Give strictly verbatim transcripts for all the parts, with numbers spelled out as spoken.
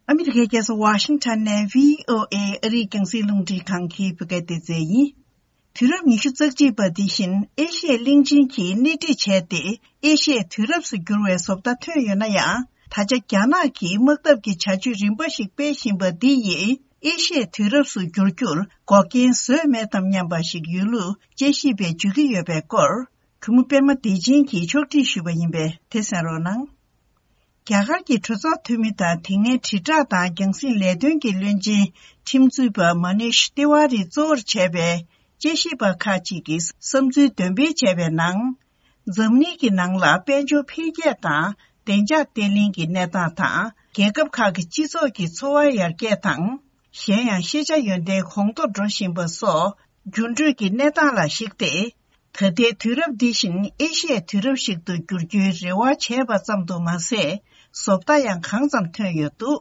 ཨ་མི་རི་ཀའི་རྒྱལ་ས་ཝ་ཤིང་ཊོན་ནས་བྷི་ཨོ་ཨེ་ཨ་རིའི་རྒྱང་སྲིང་རླུང་འཕྲིན་ཁང་གི་བོད་སྐད་སྡེ་ཚན་ཡིན། དུས་རབས་ཉི་ཤུ་རྩ་གཅིག་པ་འདི་བཞིན་ཨེ་ཤི་ཡའི་གླིང་ཆེན་གྱིས་སྣེ་ཁྲིད་བྱས་ཏེ་ཨེ་ཤི་ཡའི་དུས་རབས་སུ་འགྱུར་བའི་བཟོ་ལྟ་ཐོན་ཡོད་ན་ཡང་། ད་ཆ་རྒྱ་ནག་གིས་དམག་འཐབ་ཀྱི་བྱ་སྤྱོད་རིམ་པ་ཞིག་སྤེལ་བཞིན་པ་འདི་ཡིས་ཨེ་ཤི་ཡའི་དུས་རབས་སུ་འགྱུར་རྒྱུར་འགོག་རྐྱེན་བཟོས་མེད་དམ་སྙམ་པ་ཞིག་ཡོད་ལུགས་དཔྱད་ཞིབ་པས་བརྗོད་ཀྱི་ཡོད་པའི་སྐོར། གུས་མོ་པད་མ་བདེ་ཆེན་གྱིས་ཕྱོགས་སྒྲིག་ཞུས་པ་ཡིན་པས་དེ་གསན་རོགས་གནང་། རྒྱ་གར་གྱི་གྲོས་ཚོགས་འཐུས་མི་དང་དེ་སྔའི་དྲིལ་བསྒྲགས་དང་རྒྱང་སྲིང་ལས་དོན་གྱི་བློན་ཆེན་ཁྲིམས་རྩོད་པ་མ་ནིཤ་ཏི་ཝཱ་རི་གཙོ་བོར་བྱས་པའི་དཔྱད་ཞིབ་པ་ཁག་ཅིག་གིས་བསམ་ཚུལ་འདོན་སྤེལ་བྱས་པའི་ནང་། འཛམ་གླིང་གི་ནང་ལ་དཔལ་འབྱོར་འཕེལ་རྒྱས་དང་བདེ་འཇགས་བརྟན་ལྷིང་གི་གནས་སྟངས་དང་། རྒྱལ་ཁབ་ཁག་གི་སྤྱི་ཚོགས་ཀྱི་འཚོ་བ་ཡར་རྒྱས་དང་། གཞན་ཡང་ཤེས་བྱ་ཡོན་ཏན་གོང་མཐོར་འགྲོ་བཞིན་པ་སོགས་འགྱུར་འགྲོས་ཀྱི་གནས་སྟངས་ལ་གཞིགས་ཏེ། ད་ལྟའི་དུས་རབས་འདི་བཞིན་ཨེ་ཤི་ཡའི་དུས་རབས་ཤིག་ཏུ་འགྱུར་རྒྱུའི་རེ་བ་བྱས་པ་ཙམ་དུ་མ་ཟད། བཟོ་ལྟ་ཡང་གང་ཙམ་ཐོན་ཡོད་འདུག་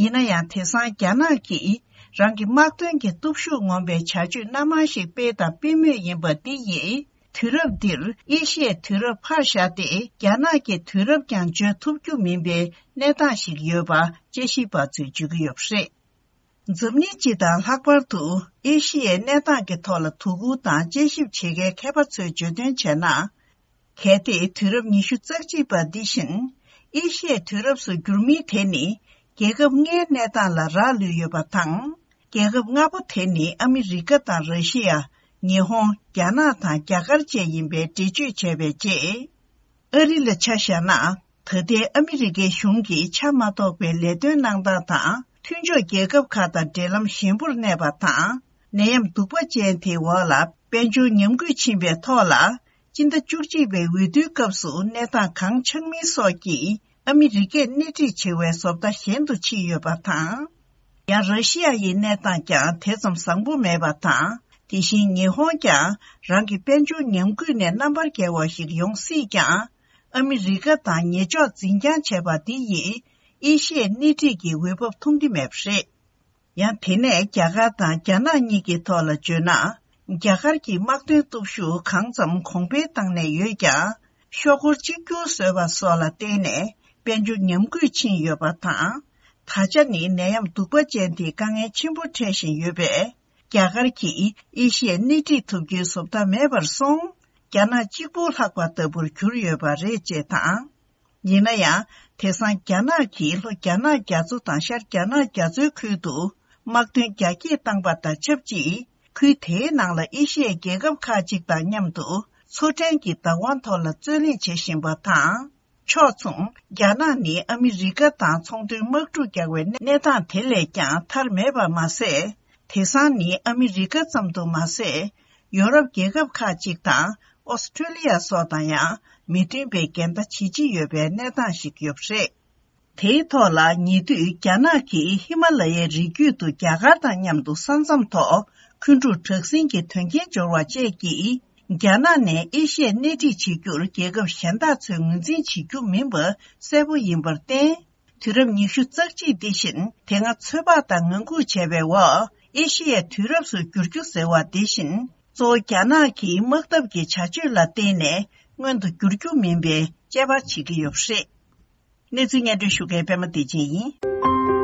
ཡིན་ན་ཡང་དེང་སང་རྒྱ་ནག་གིས་རང་གི་དམག་དོན་གྱི་སྟོབས་ཤུགས་ངོམ་པའི་བྱ་སྤྱོད་སྣ་མང་ཞིག་སྤེལ་དང་སྤེལ་མུས་ཡིན་པ་འདི་ཡིས། དུས་རབས་འདིར་ཨེ་ཤི་ཡའི་དུས་རབས་ཕར་བཞག་སྟེ་རྒྱ་ནག་གི་དུས་རབས་ཀྱང་བརྗོད་ཐུབ་རྒྱུ་མིན་པའི་གནས་སྟངས་ཤིག་ཡོད་པ་དཔྱད་ཞིབ་པ་ཚོས་བརྗོད་ཀྱི་ཡོད་པ་རེད། འཛམ་གླིང་སྤྱི་དང་ལྷག་པར་དུ་ཨེ་ཤི་ཡའི་གནས་སྟངས་ཀྱི་ཐོག་ལ་དོ་ཁུར་དང་དཔྱད་ཞིབ་བྱེད་མཁན་མཁས་པ་ཚོས་བརྗོད་དོན་བྱས་ན། གལ་ཏེ་དུས་རབས་ཉི་ཤུ་རྩ་གཅིག་པ་འདི་བཞིན་ཨེ་ཤི་ཡའི་དུས་རབས་སུ་འགྱུར་མིན་དེ་ནི་རྒྱལ་ཁབ་ལྔའི་གནས་སྟངས་ལ་རག་ལུས་ཡོད་པ་དང་། རྒྱལ་ཁབ་ལྔ་པོ་དེ་ནི་ཨ་མི་རི་ཀ་དང་ར་ཤི་ཡ། ཉི་ཧོང་། རྒྱ་ནག་དང་རྒྱ་གར་བཅས་ཡིན་པའི་འགྲེལ་བརྗོད་བྱས་པའི་རྗེས། ཨ་རི་ལ་ཆ་བཞག་ན། ད་ལྟའི་ཨ་མི་རི་ཀའི་གཞུང་གིས་ཆ་མ་གཏོགས་པའི་ལས་དོན་གནང་སྟངས་དང་མཐུན་ཕྱོགས་རྒྱལ་ཁབ་ཁག་དང་འབྲེལ་ལམ་ཞན་པོར་གནས་པ་དང་། ནད་ཡམས་གདུག་པ་ཅན་དེའི་འོག་ལ་དཔལ་འབྱོར་ཉམས་རྒུད་ཕྱིན་པའི་ཐོག་ལ། སྤྱི་ཟླ་བཅུ་གཅིག་པའི་འོས་བསྡུའི་སྐབས་སུ་གནས་སྟངས་གང་ཆགས་མིན་སོགས་ཀྱིས་ཨ་མི་རི་ཀས་སྣེ་ཁྲིད་བྱེད་པའི་བཟོ་ལྟ་ཞན་དུ་ཕྱིན་ཡོད་པ་དང་། ཡང་ར་ཤི་ཡ་ཡི་གནས་སྟངས་ཀྱང་དེ་ཙམ་བཟང་པོ་མེད་པ་དང་། དེ་བཞིན་ཉི་ཧོང་ཀྱང་རང་གི་དཔལ་འབྱོར་ཉམས་རྒུད་ནས་རྣམ་པར་རྒྱལ་བ་ཞིག་ཡོང་སྲིད་ཀྱང་། ཨ་མི་རི་ཀ་དང་ཉེ་ཕྱོགས་འཛིན་རྐྱང་བྱས་པ་འདི་ཡིས་ཨེ་ཤི་ཡའི་སྣེ་ཁྲིད་ཀྱི་འོས་བབ་མཐོང་གི་མེད་པ་རེད། ཡང་དེ་ནས་རྒྱ་གར་དང་རྒྱ་ནག་གཉིས་ཀྱི་ཐོག་ལ་བརྗོད་ན། རྒྱ་གར་གྱི་དམག་དོན་སྟོབས་ཤུགས་གང་ཙམ་གོང་འཕེལ་བཏང་གནས་ཡོད་ཀྱང་། ཤོག་སྒོར་གཅིག་གྱུར་བཟོས་པ་སོགས་ལ་བརྟེན་ནས་དཔལ་འབྱོར་ཉམས་རྒུད་ཕྱིན་ཡོད་པ་དང་། ད་ཆ་ནི་ནད་ཡམས་གདུག་པ་ཅན་དེས་དཀའ་ངལ་ཆེན་པོ་འཕྲད་བཞིན་ཡོད་པས། རྒྱ་གར་གྱིས་ཨེ་ཤི་ཡའི་སྣེ་ཁྲིད་ཐུབ་རྒྱུའི་བཟོ་ལྟ་མེད་པར་སོང་། རྒྱ་ནག་གཅིག་པུ་ལྷག་པ་ལྟ་བུར་གྱུར་ཡོད་པ་རེད་ཅེས་དང་། ཡིན་ན་ཡང་། དེང་སང་རྒྱ་ནག་གིས་ལྷོ་རྒྱ་ནག་རྒྱ་མཚོ་དང་ཤར་རྒྱ་ནག་རྒྱ་མཚོའི་ཁུལ་དུ་དམག་དོན་རྒྱ་སྐྱེད་བཏང་པ་དང་ཆབས་ཅིག་ཁུལ་དེའི་ནང་ལ་ཨེ་ཤི་ཡའི་རྒྱལ་ཁབ་ཁག་ཅིག་དང་མཉམ་དུ་མཚོ་ཕྲན་གྱི་བདག་དབང་ཐོག་ལ་རྩོད་གླེང་བྱེད་བཞིན་པ་དང་། ཕྱོགས་མཚུངས། རྒྱ་ནག་ནི་ཨ་མི་རི་ཀ་དང་ཚོང་དོན་དམག་འཁྲུག་རྒྱག་པའི་གནས་སྟངས་དེ་ལས་ཀྱང་ཐར་མེད་པ་མ་ཟད། དེང་སང་ནི་ཨ་མི་རི་ཀ་ཙམ་དུ་མ་ཟད། ཡོ་རོབ་རྒྱལ་ཁབ་ཁག་ཅིག་དང་ཨོ་སི་ཁྲུ་ལི་ཡ་སོགས་དང་ཡང་མི་མཐུན་པའི་འགལ་ཟླ་ཇི་ཆེ་ཡོད་པའི་གནས་སྟངས་ཤིག་ཡོད་པ་རེད། དེའི་ཐོག་ལ་ཉེ་དུས་རྒྱ་ནག་གིས་ཧི་མ་ལ་ཡའི་རི་རྒྱུད་དུ་རྒྱ་གར་དང་མཉམ་དུ་ས་མཚམས་ཐོག་འཁོན་འཁྲུག་དྲག་ཟིང་གི་དོན་རྐྱེན་འབྱོར་བ་བཅས་ཀྱིས། རྒྱ་ནག་ནས་ཨེ་ཤི་ཡར་སྣེ་ཁྲིད་བྱེད་རྒྱུར་རྒྱལ་ཁབ་གཞན་དག་ཚོས་ངོས་འཛིན་བྱེད་རྒྱུ་མིན་པ་གསལ་པོ་ཡིན་པར་བརྟེན། དུས་རབས་ཉི་ཤུ་རྩ་གཅིག་འདི་བཞིན་དེ་སྔ་ཚོད་དཔག་དང་ངང་སྒུག་བྱས་པའི་འོག་ཨེ་ཤི་ཡའི་དུས་རབས་སུ་འགྱུར་རྒྱུ་ཟེར་བ་འདི་བཞིན་གཙོ་བོ་རྒྱ་ནག་གི་དམག་འཐབ་ཀྱི་བྱ་སྤྱོད་ལ་བརྟེན་ནས་མངོན་དུ་འགྱུར་རྒྱུ་མིན་པའི་དཔྱད་པ་བྱེད་ཀྱི་ཡོད་པ་རེད། གནས་ཚུལ་སྙན་སྒྲོན་ཞུ་མཁན་པད་མ་བདེ་ཆེན་ཡིན།